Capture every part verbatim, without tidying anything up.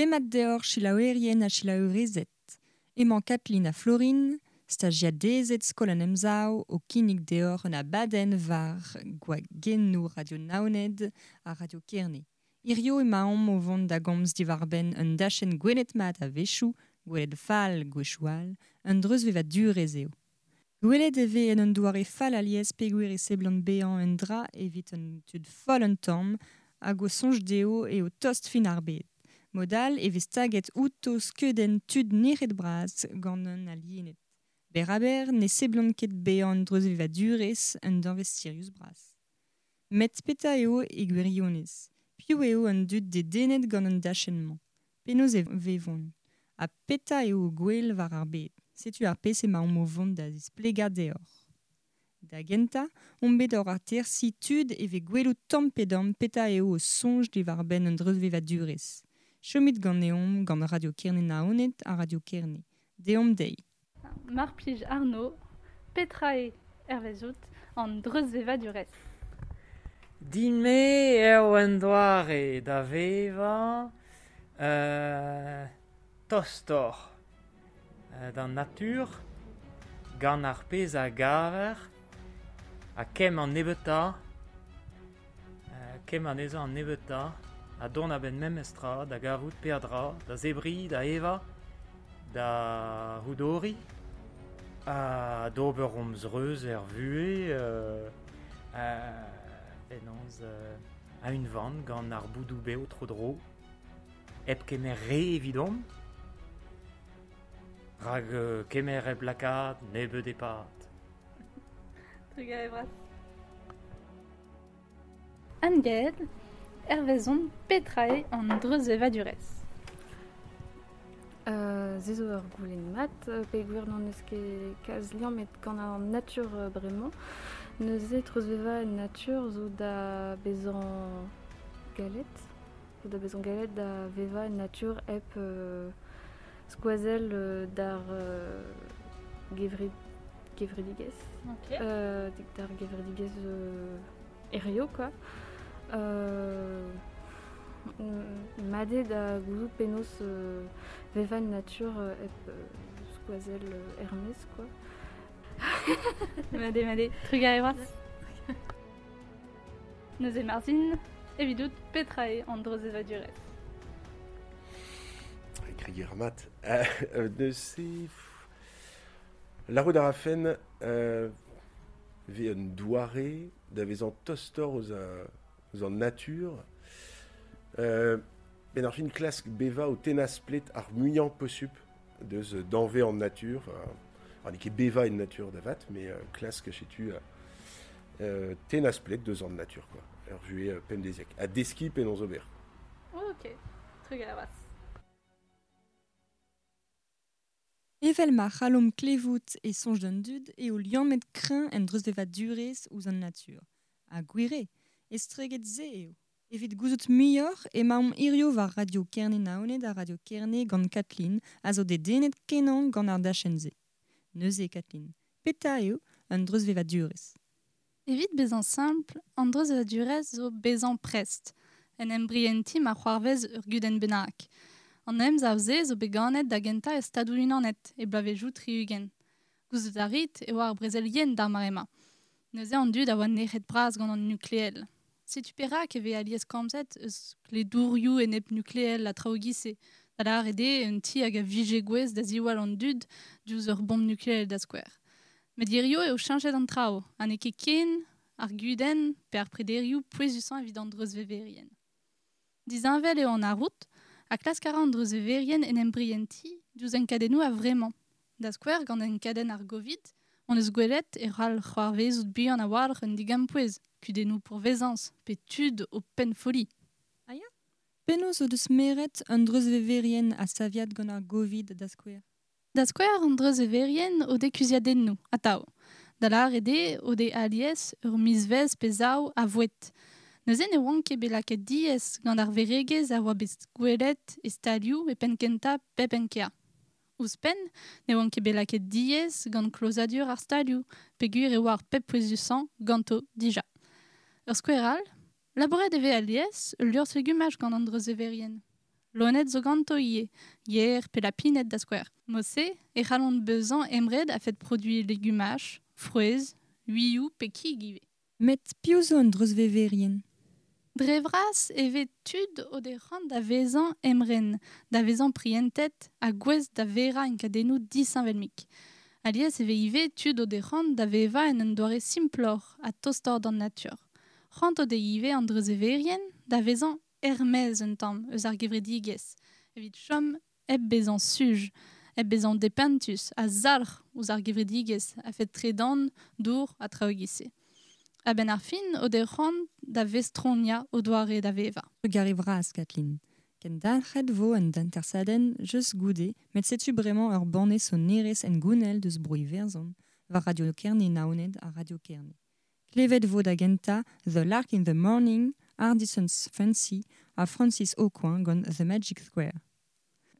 Demat deoc'h selaouerien ha selaouerezed. Emañ Kathleen ha Florine, stajiadezed skol an Emsav o kinnig deoc'h un abadenn war gwagennoù Radio Naoned ha Radio Kerne. Hirio emaomp o vont da gomz diwar-benn un dachenn gwelet mat a-wechoù, gwelet fall gwechoù all, un dreuzvevadurezh eo. Gwelet e vez en un doare fall alies peogwir e seblant bezañ un dra evit un tud foll un tamm hag o soñj dezho eo tost fin ar bed. Mod all e vez taget outo skeudenn tud nec'het bras gant un aliened. Berr-ha-berr ne seblant ket bezañ an dreuzvevadurezh un danvez sirius bras. Met petra eo e gwirionez? Piv eo an dud dedennet gant an dachenn-mañ? Penaos e vevont? Ha petra eo o gwel war ar bed? Setu ar pezh emaomp o vont da zisplegañ deoc'h. Da gentañ, omp bet oc'h atersiñ tud evit gwelout tamm pe damm petra eo o soñj diwar-benn an dreuzvevadurezh. Chomit ganeomp gant Radio Kerne Naoned ha Radio Kerne. Deomp dezhi. Mar plij Arnaud, petra eo hervezout an dreuzvevadurezh? Din-me eo un doare da vevañ euh, tostoc'h euh, d'an natur, gant ar pezh a gaver, ha kemm an nebeutañ, euh, kemm anezhañ an nebeutañ, ha dont a-benn memestra da gavout peadra, da zebriñ, da evañ, da c'houdoriñ, ha d'ober hom zreuz er vuhez euh, euh, penaos euh, a-unvan gant ar boudoù bev tro-dro, hep kemer re evidomp, rak euh, kemer hep lakaat nebeut e pad. Trugarez bras. Anne-Gaëlle, hervezon petra eo an dreuzvevadurezh? Euh, se zo ur goulenn mat, peogwir n'hon eus ket kalz liammet gant an natur bremañ. Neuze treuzvevañ en natur zo da bezañ galet, zo da bezañ galet da vevañ en natur hep euh, skoazell euh, d'ar euh, gevred, gevredigezh. Ok. Euh, d'ar gevredigezh euh, hirio, quoi. Euh, mat eo da gouzout penaos euh, vevañ en natur euh, hep euh, skoazell euh, er-maez, quoi. Mat eo, mat eo. Trugarez bras. Neuze Marzin, evidout petra eo an dreuzvevadurezh? Krier mat. Euh, neuze... Lârout a rafen euh, vez un doare da vezañ tostoc'h eus a, eus an natur. Euh, ben ar fin klask bevañ o tennañ splet ar muiañ posupl deus danvez an natur. Euh, ar n'eo ket bevañ en natur da vat, met euh, klask setu euh, tennañ splet deus an natur, quoi. Ur vuhez euh, pemdeziek. Ha deskiñ penaos ober. Ok, trugarez bras. Evel ma c'hallomp klevout e soñj d'an dud eo liammet kreñv en dreuzvevadurezh ouzh an natur. Ha gwir eo, estreget se eo. Evit gouzout muioc'h emaomp hirio war Radio Kerne Naoned ha Radio Kerne gant Kathleen a zo dedennet kenañ gant ar dachenn-se. Neuze Kathleen, petra eo an dreuzvevadurezh? Evit bezañ simpl, an dreuzvevadurezh zo bezañ prest, en em brientiñ ma c'hoarvez ur gudenn bennak. An emsav-se zo bet ganet da gentañ e Stadoù-Unanet e bloavezhioù tri-ugent. Gouzout a rit e oa ar brezel yen d'ar mare-mañ. Neuze an dud a oa nec'het bras gant an nukleel. Setu perak e vez alies komzet eus kledourioù enep nukleel ha traoù e-giz-se. Da lâret eo un ti hag a vije gouest da ziwall an dud diouzh ur bomb nukleel da skouer. Met hirio eo cheñchet an traoù, ha n'eo ket ken ar gudenn pe ar prederioù pouezusañ evit an dreuzveverien. Disheñvel eo an arroud, ha klask a ra an dreuzveverien en em brientiñ diouzh enkadennoù a-vremañ. Da skouer gant enkadenn ar Covid, hon eus gwelet e c'hall c'hoarvezout buan a-walc'h un digampouez, kudennoù pourvezañs pe tud o pennfolliñ. Ah ya? Penaos o deus meret an dreuzveverien a saviad gant ar Covid da skouer? Da skouer an dreuzveverien o dez kuziadennoù, atav. Da lâret eo o dez alies ur mizvezh pe zaou a voued. Neuze ne oant ket bet lakaet diaes gant ar veregezh a oa bet gwelet e stalioù e penn-kentañ pep enkañ. Ouzhpenn, ne oant ket bet lakaet diaes gant klozadur ar stalioù, peogwir e oa ar pep pouezusañ ganto dija. Ur skouer all, labouret e vez alies ul liorzh legumaj gant an dreuzveverien. Loened zo ganto ivez, yer pe lapined da skouer. Mod-se e c'hallont bezañ emred a-fet produiñ legumaj, frouezh, uioù pe kig ivez. Met piv zo an dreuzveverien? Dre vras e vez tud o deus c'hoant da vezañ emren, da vezañ prientet ha gouest da verañ enkadennoù disheñvel-mik. Alies e vez ivez tud o deus c'hoant da vevañ en un doare simploc'h ha tostoc'h d'an natur. C'hoant o deus ivez an dreuzveverien da vezañ er-maez un tamm eus ar gevredigezh, evit chom hep bezañ suj, hep bezañ depentus ha zalc'h ouzh ar gevredigezh a-fet tredan, dour ha traoù e-giz-se. A-benn ar fin o deus c'hoant da vestroniañ o doare da vevañ. Trugarez vras, Kathleen. Kendalc'het vo an atersadenn just goude, met setu bremañ ur banne sonerezh hengounel deus Bro Iwerzhon, war Radio Kerne Naoned ha Radio Kerne. Klevet vo da gentañ The Lark in the Morning, Hardison's Fancy ha Francis Aucoin gant The Magic Square.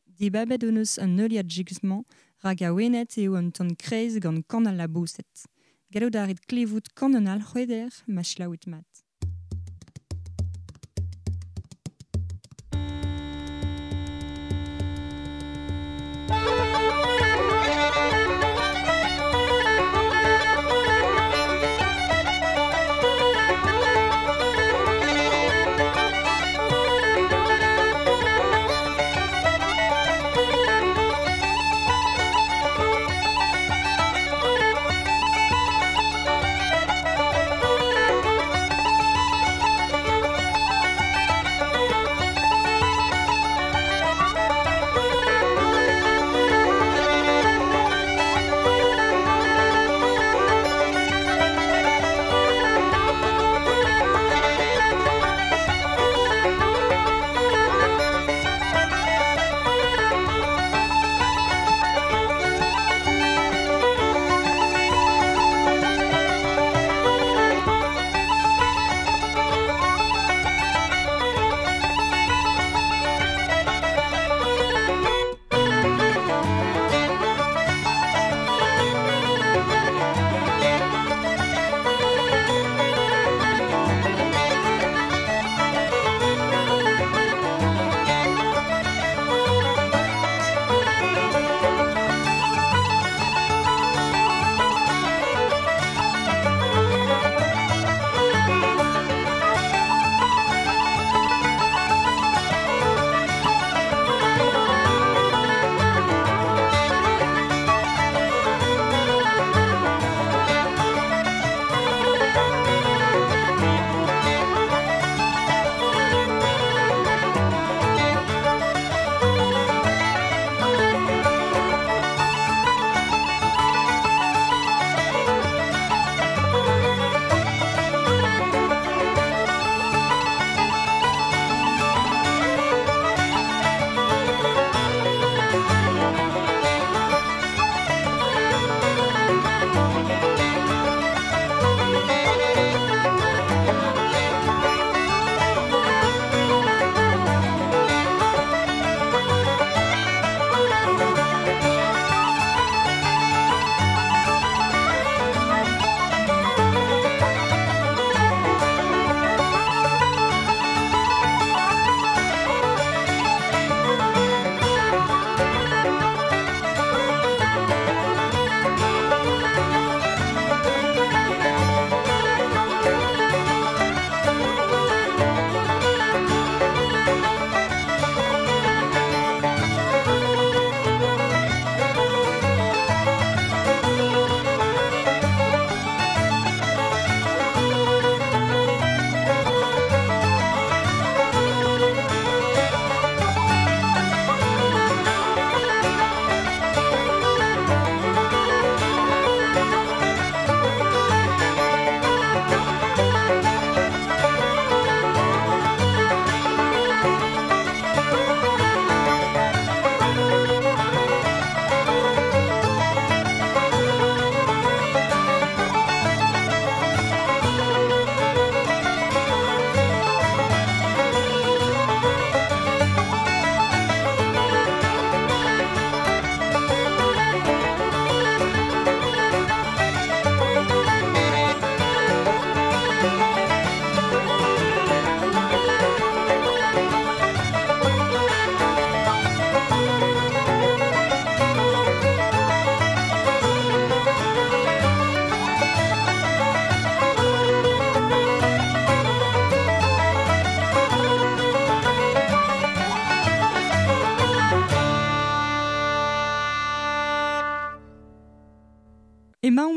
Dibabet hon eus an heuliad jigmañ rak awenet eo an ton kreiz gant kan al laboused. Gallout a rit klevout kan an alc'hweder ma selaouit mat. Thank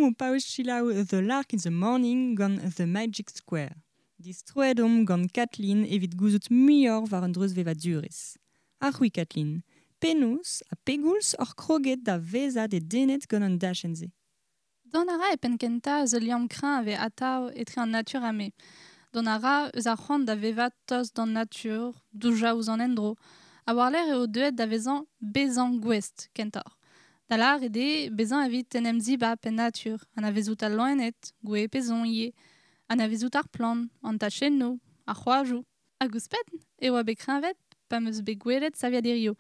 Emaomp o paouez selaou The Lark in the Morning gant The Magic Square. Distroet omp gant Kathleen evit gouzout muioc'h war an dreuzvevadurezh. Ha c'hwi Kathleen, penaos ha pegoulz oc'h kroget da vezañ dedennet gant an dachenn-se. Dont a ra e penn kentañ eus ul liamm kreñv a vez atav etre an natur ha me. Dont a ra eus ar c'hoant da vevañ tost d'an natur, doujañ ouzh an endro. Ha war-lerc'h eo deuet da vezañ bezañ gouest kentoc'h. Da lâret eo bezañ evit en em zibab en natur, anavezout al loened, gouez pe zon ivez, anavezout ar plant, an tachennoù, ar c'hoajoù. Hag ouzhpenn e oa bet kreñvet pa 'm eus bet gwelet saviad hirio.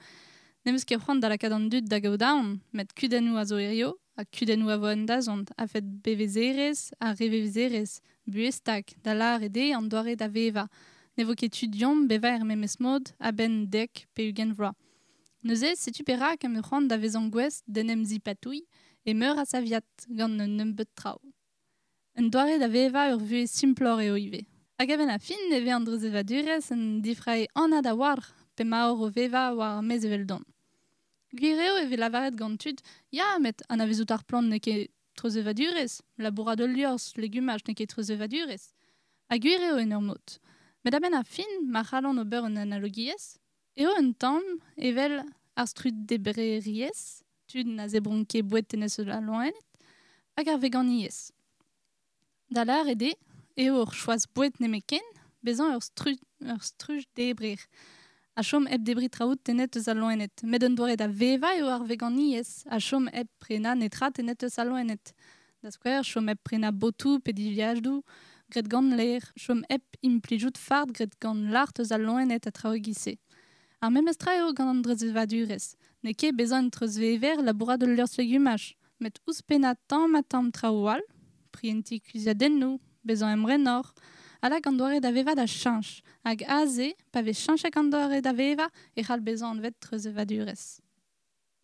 N'em eus ket c'hoant da lakaat an dud da gaout aon, met kudennoù a zo hirio, ha kudennoù a vo en dazont, a-fet bevezerezh ha revevezerezh, buhez stag, da lâret eo an doare da vevañ. Ne vo ket tu deomp bevañ er memes mod a-benn dek pe ugent vloaz. Neuze, setu perak em eus c'hoant da vezañ gouest d'en em zipatouilh e meur a saviad gant un nebeud traoù. Un doare da vevañ ur vuhez simploc'h eo ivez. Hag a-benn ar fin e vez an dreuzvevadurezh un difrae anat a-walc'h p'emaoc'h o vevañ war ar maez eveldon. Gwir eo e vez lavaret gant tud, ya, met anavezout ar plant n'eo ket treuzvevadurezh, labourat ul liorzh, legumaj n'eo ket treuzvevadurezh. Ha gwir eo en ur mod. Met a-benn ar fin, ma c'hallan ober un analogiezh, eo un tamm evel ar struddebrerezh, tud na zebront ket boued tennet eus al loened, hag ar veganiezh. Da lâret eo, eo ur choaz boued nemetken, bezañ ur stru-, ur strujdebrer. Ha chom hep debriñ traoù tennet eus al loened. Met un doare da vevañ eo ar veganiezh, ha chom hep prenañ netra tennet eus al loened. Da skouer, chom hep prenañ botoù pe dilhadoù graet gant lêr, chom hep implijout fard graet gant lart eus al loened ha traoù e-giz-se. Ar memes tra eo gant an dreuzvevadurezh. N'eo ket bezañ un treuzvever labourat ul liorzh legumaj, met ouzhpennañ tamm ha tamm traoù all, prientiñ kuzuliadennoù, bezañ emrenoc'h, ha lak an doare da vevañ da cheñch. Hag aze, pa vez cheñchet an doare da vevañ, e c'hall bezañ anvet treuzvevadurezh.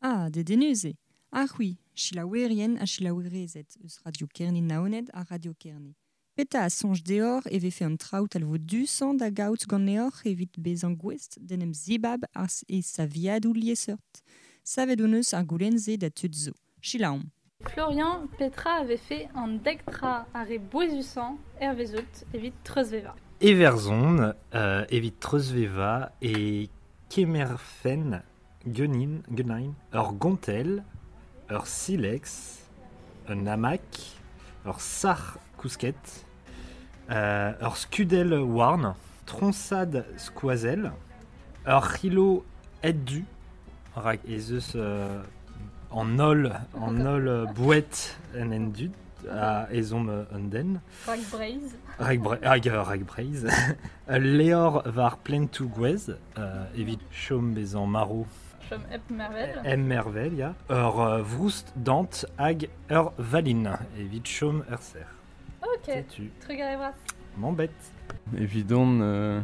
Ah, dedennus eo. Ha c'hwi, selaouerien ha selaouerezed eus Radio Kerne Naoned ha Radio Kerne. Petra a soñj deoc'h e vefe an traoù talvoudusañ da gaout ganeoc'h evit bezañ gouest d'en em zibab e saviadoù liesseurt. Savet hon eus ar goulenn-se da tud zo. Selaomp. Florian, petra a vefe an dek tra ar re bouezusañ hervezout evit treuzvevañ. Everzon, euh, evit treuzvevañ e kemerfen genin, genin, ur gontell, ur silex, un hamac, ur sac'h kousket, euh, ur skudell houarn, troñsad skoazell, ur c'hilo ed-du, rak ez eus euh, an holl, an holl boued en en dud, a ezhomm un den. Rak Breizh. Rak Bre-, hag ur rak Breizh. Ul levr war plentoù gwez, euh, evit chom bezañ marv. Chom hep mervel. Hep mervel, ya. Ur euh, vroust dant hag ur valin, evit chom ur serr. Ok. Setu. Trugarez bras. M'embête. Evidon, euh,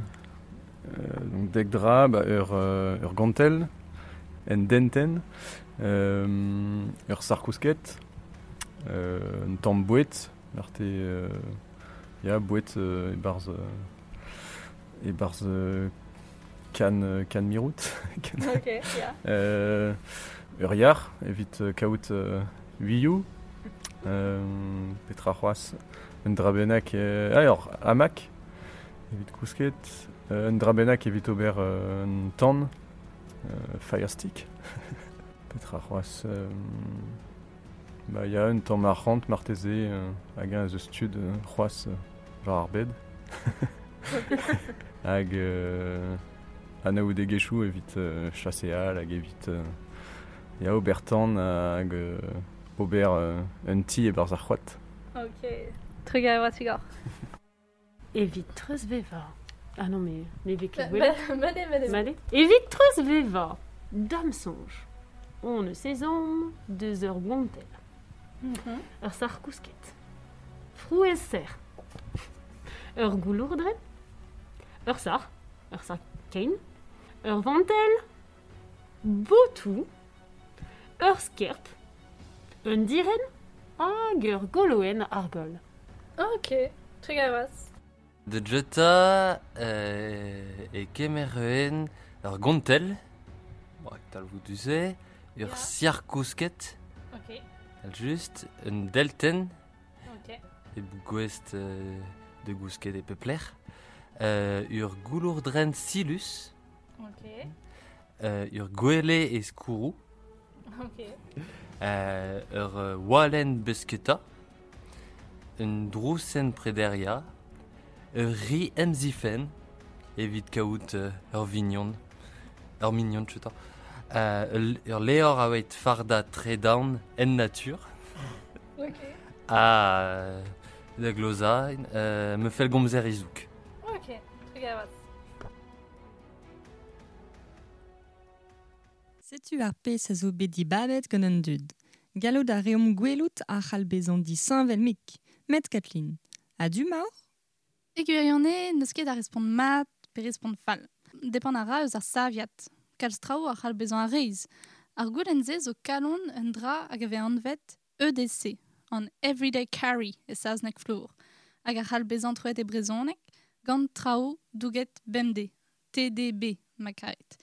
euh, donc dek dra, ba, ur, euh, ur gontell, en denten, euh, ur sarkousket, euh, un tamm boued, ur te, euh, ya, boued, euh, e-barzh, euh, e-barzh, euh, kan, euh, kan mirout. Kan. Ok, ya. Euh, ur yar, evit, euh, kaout, euh, uioù, euh, petra c'hoazh, un dra bennak, euh, ah, ur hamac, evit kousket, euh, un dra bennak evit ober, euh, un tan, euh, fire stick. Petra c'hoazh, euh, ba, ya un tamm arc'hant marteze, euh, hag un eus stud, euh, c'hoazh, euh, war ar bed. Hag, euh, anaoudegezhioù evit, euh, chaseal hag evit, euh, ya ober tan hag, euh, ober, euh, un ti e-barzh ar c'hoad. Ok, trugarez bras Igor. Evit treuzvevañ. Ah non, mais, mais vez ket Ba- gwelet. ba- Made, made. Made. Evit treuzvevañ, dam soñj. On eus ezhomm deus ur gontell. Mhm. Ur sac'h kousket. Frouezh serr. Ur goulourdrenn. Ur sac'h. Ur sac'h kein. Ur vantell. Botoù. Ur skerp. Un direnn. Hag ur goloenn argol. Ok, trugarez bras. De jeta, euh, e kemer ur gontell, bon, talvoudu se, ur Ya. sac'h kousket, Ok. Just, un delten. Ok. E gouest euh, de gousket e pepler. Euh, ur goulourdren silus. Ok. Euh, ur gwele e skourou. Ok. Euh, ur euh, walen besketa. Un drousen prederia. Ur ri emzifen. Evit kaout euh, ur vignon. Ur mignon, chuta. Euh, ur leor a oet farda tredan en natur. Ok. A da gloza, euh, me fel gomzer izouk. Ok, trugarez. Setu ar pezh a zo bet dibabet gant an dud. Gallout a reomp gwelout a c'hall bezañ disheñvel mik. Met Kathleen, a du maor? E gwirionez, n'eus ket a respont mat pe respont fall. Depend a ra eus ar saviad. Kalz traoù a c'hall bezañ a reizh. Ar goulenn-se zo kalon un dra hag a vez anvet E D C, an Everyday Carry e saozneg flour, hag a c'hall bezañ troet e brezhoneg gant traoù douget bemdez, T D B ma karet.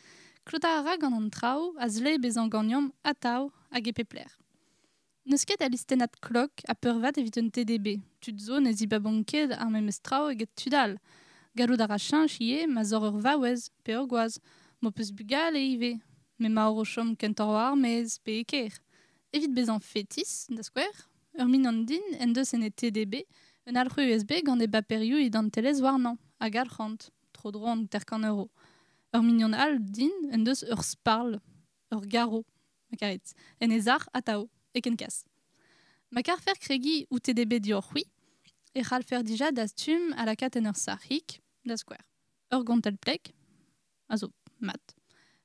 Klotañ a ra gant an traoù a zle bezañ ganeomp atav hag e pep lec'h. N'eus ket a listennad klok a peurvat evit un T D B. Tud zo ne zibabont ket ar memes traoù eget tud all. Gallout a ra cheñch ivez ma zor ur vaouez pe ur gwaz, m'ho peus bugale ivez, me ma o chom kentoc'h war ar maez pe e kêr. Evit bezañ fetis, da skouer, ur mignon din en deus en e T D B un alc'hwez U S B gant e baperioù identelezh warnañ, hag arc'hant, tro-dro an hanter-kant euro. Ur mignon all din en deus ur sparl, ur garo, ma karit, en e sac'h atav, e ken kas. Ma karfer kregiñ ou T D B dioc'h c'hwi, e c'hallfer dija dastum a lakaat en ur sac'hig, da skouer. Ur gontell pleg, a zo mat.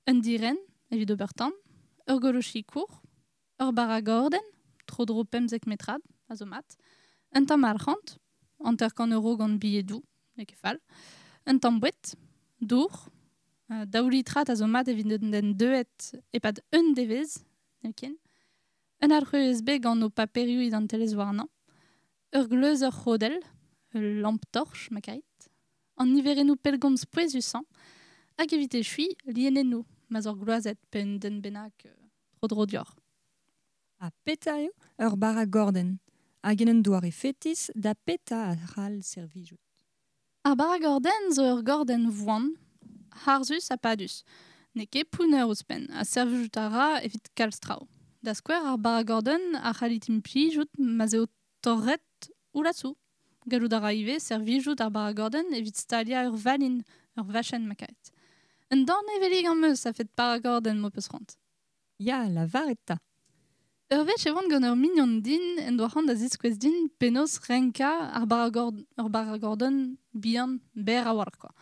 Un diren, evit ober tamm, ur golochi kour, ur baragordenn, tro-dro pemzek metrad, a zo mat, un tamm arc'hant, hanter-kant euro gant bilhedoù, n'eo ket fall, un tamm boued, dour, euh, daou litrat a zo mat evit un den deuet e-pad un devezh, n'eo ken, un alc'hwez U S B gant ho paperioù identelezh warnañ, ur gleuz ur c'hodell, ul lampe-torche, ma karit, an niverennoù pellgomz pouezusañ, hag evit echuiñ lienennoù, ma zor gloazet pe un den bennak euh, tro-dro dioc'h. Ha petra eo ur baragordenn, hag en un doare fetis da petra a c'hall servijout. Ar baragordenn zo ur gordenn voan, harzus ha padus. N'eo ket pounner ouzhpenn, ha servijout a ra evit kalz traoù. Da skouer ar baragordenn a c'hallit implijout ma'z eo torret ou lasoù. Gallout a ra ivez servijout ar baragordenn evit staliañ ur valin, ur vachenn ma karet. Un dornevelig am eus a fet baragordenn m'ho peus c'hoant. Ya, lavaret 'ta. Ur wech e oan gant ur mignon din en doa c'hoant da ziskouez din penaos renkañ ar baragord, ur baragordenn bihan berr a-walc'h kwa.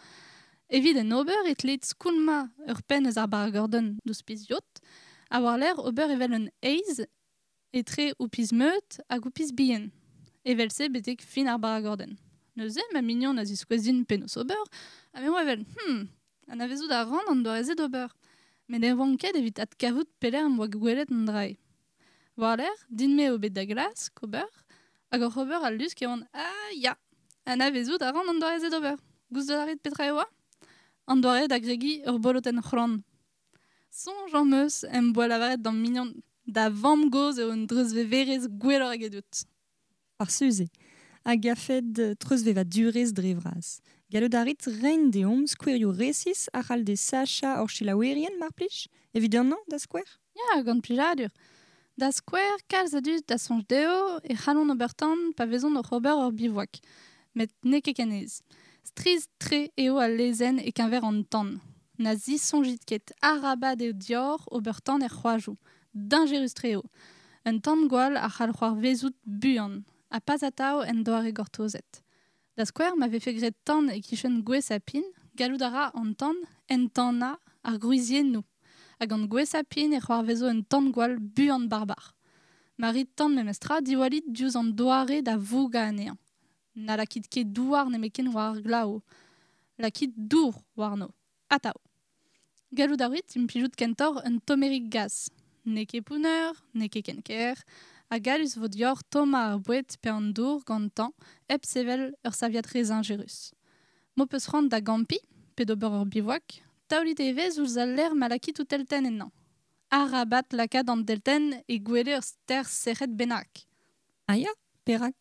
Evit en ober e tleit skoulmañ ur penn eus ar baragordenn d'ouzh piz-yod, ha war-lerc'h ober evel un eizh etre ho piz-meud hag ho piz bihan. Evel-se betek fin ar baragordenn. Neuze, ma mignon a ziskouez din penaos ober, ha me oa evel, hmm, anavezout a ran an doare-se d'ober. Met ne oan ket evit adkavout pelec'h am boa gwelet an drae. War-lerc'h, din-me eo bet da glask ober, hag oc'h ober al lusk e oan, ah ya, anavezout a ran an doare-se d'ober. Gouzout a rit petra e oa? An doare da gregiñ ur bolotenn c'hlan. Soñj am eus em boa lavaret d'am mignon da vamm-gozh eo un dreuzveverez gwelloc'h egedout. Ar suze, hag a fed treuzvevadurezh dre vras. Gallout a rit reiñ deomp skouerioù resis a c'hall desachañ hor selaouerien, mar plij, evit an hañv, da skouer? Ya, gant plijadur. Da skouer, kalz a dud da soñj dezho e c'hallont ober tan pa vezont oc'h ober ur bivouak. Met n'eo ket ken aes. Strizh-tre eo al lezenn e-keñver an tan. Na zisoñjit ket arabat eo dioc'h ober tan er c'hoajoù. Dañjerus-tre eo. Un tan-gwall a c'hall c'hoarvezout buan, ha pas atav en doare gortozet. Da skouer, ma vefe graet tan e-kichen gwez ha pin, gallout a ra an tan entanañ ar gwriziennoù. Hag gant gwez ha pin e c'hoarvezo un tan-gwall buan barbar. Ma rit tan memestra, diwallit diouzh an doare da vougañ anezhañ. Na lakit ket douar nemetken war ar glav. Lakit dour warno. Atav. Gallout a rit implijout kentoc'h un tommerig gaz. N'eo ket pounner, n'eo ket ken ker, ha gallus vo dioc'h tommañ ar boued pe an dour gantañ hep sevel ur saviad re zañjerus. M'ho peus c'hoant da gampiñ pe d'ober ur bivouak, taolit evezh ouzh al lec'h ma lakit ho teltenn ennañ. Arabat lakaat an deltenn e gwele ur ster serret bennak. Ah ya, perak?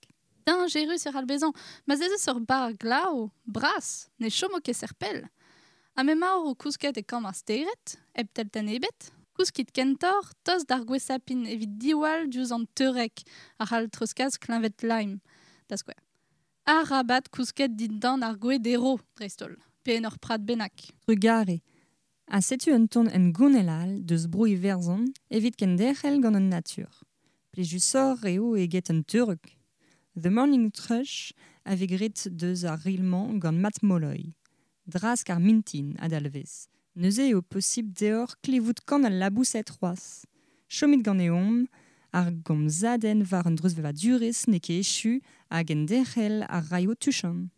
Dañjerus e c'hall bezañ, ma ez eus ur barr glav, bras, ne chomo ket serpell. Ha m'emaoc'h o kousket e kambr ar stered, hep teltenn ebet, kouskit kentoc'h tost d'ar gwez-sapin evit diwall diouzh an teurek a c'hall treuzkas kleñved Lyme, da skouer. Arabat kousket dindan ar gwez dero, dreist-holl, pe en ur prad bennak. Trugare. Ha setu un ton en gounel all deus bro Iwerzhon evit kenderc'hel gant an natur. Plijusoc'h eo eget un teurek. The Morning Thrush a vez graet deus ar rilmañ gant Matt Molloy. Drask ar mintin a-dalvez. Neuze eo posibl deoc'h klevout kan al laboused c'hoazh. Chomit ganeomp, ar gomzadenn war an dreuzvevadurezh n'eo ket echu hag enderc'hel ar raio tuchant.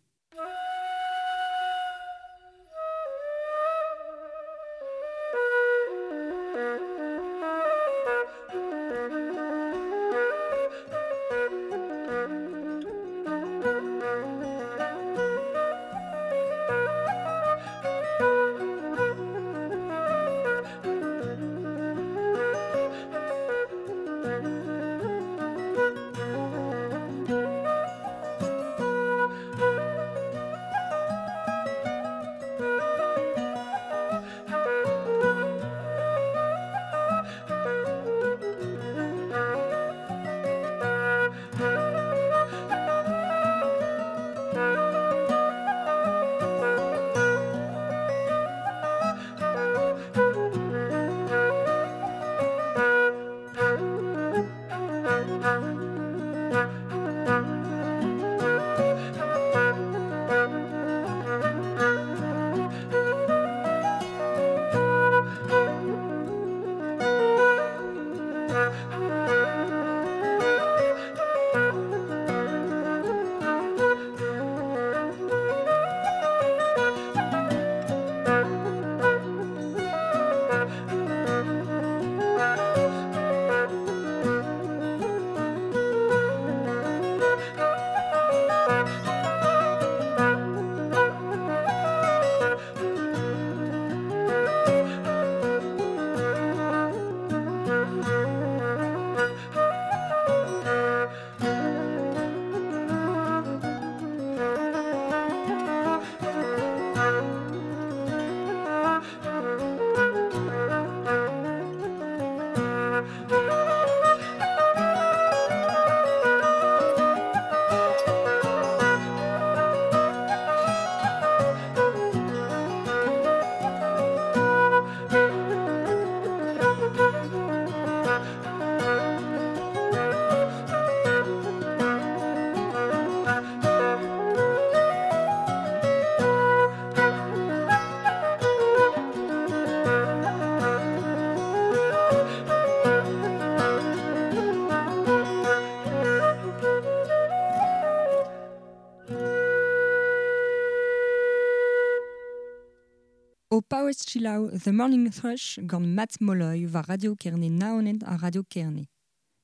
O paouez selaou The Morning Thrush gant Matt Molloy war Radio Kerne Naoned ha Radio Kerne.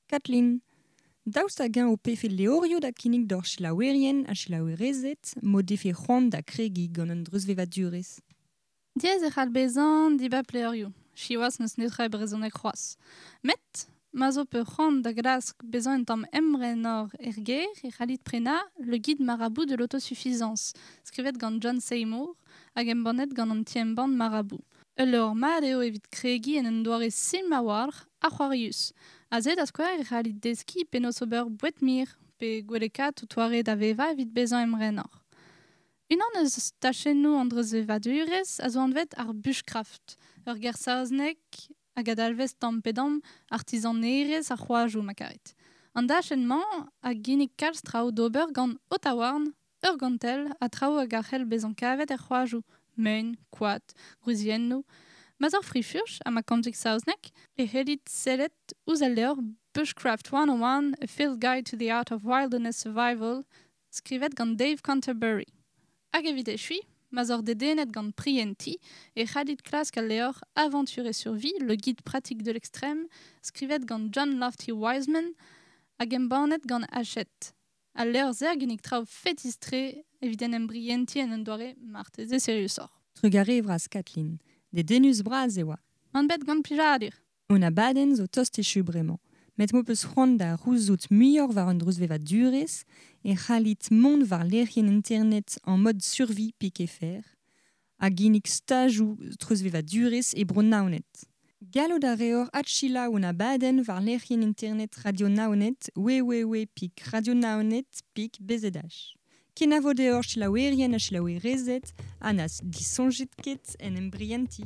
Kathleen, daoust hag-eñ ho pefe levrioù da kinnig d'hor selaouerien ha selaouerezed m'o defe c'hoant da kregiñ gant an dreuzvevadurezh. Diaes e c'hall bezañ dibab levrioù. Siwazh n'eus netra e brezhoneg c'hoazh. Met, ma zo pe c'hoant da glask bezañ un tamm emrenoc'h er gêr e c'hallit prenañ Le guide marabout de l'autosuffisance, skrivet gant John Seymour hag embannet gant an ti-embann Marabout. Ul levr mat eo evit kregiñ en un doare simpl a-walc'h ha c'hoarius. Aze da skouer e c'hallit deskiñ penaos ober boued-mir pe gwellekaat ho toare da vevañ evit bezañ emrenoc'h. Unan eus tachennoù an dreuzvevadurezh a zo anvet ar bushcraft, ur ger saoznek hag a-dalvez tamm pe damm artizanerezh ar c'hoajoù ma karit. An dachenn-mañ a ginnig kalz traoù d'ober gant ho taouarn, ur gantell ha traoù hag a c'hell bezañ kavet er c'hoajoù, mein, koad, gwriziennoù. Ma 'z oc'h frifurch ha ma komzit saozneg e c'hellit sellet ouzh al levr Bushcraft one oh one, A Field Guide to the Art of Wilderness Survival, skrivet gant Dave Canterbury. Hag evit echuiñ, ma 'z oc'h dedennet gant prientiñ e c'hallit klask al levr Aventure et survie, le guide pratique de l'extrême, skrivet gant John Lofty Wiseman hag embannet gant Hachette. Al levr-se a ginnig traoù fetis-tre evit en em brientiñ en un doare marteze seriusoc'h. Trugarez vras Kathleen, dedennus bras e oa. An bet gant plijadur. On abadenn zo tost echu bremañ. Met m'ho peus c'hoant da c'houzout muioc'h war an dreuzvevadurezh e c'hallit mont war lec'hienn internet en mode survie pik F R ha ginnig stajoù treuzvevadurezh e Bro-Naoned. Gallout a reor adselaou an abadenn war lec'hienn internet Radio Naoned w w w pik radionaoned pik B Z H. Kenavo deoc'h selaouerien ha selaouerezed ha na disoñjit ket en em brientiñ.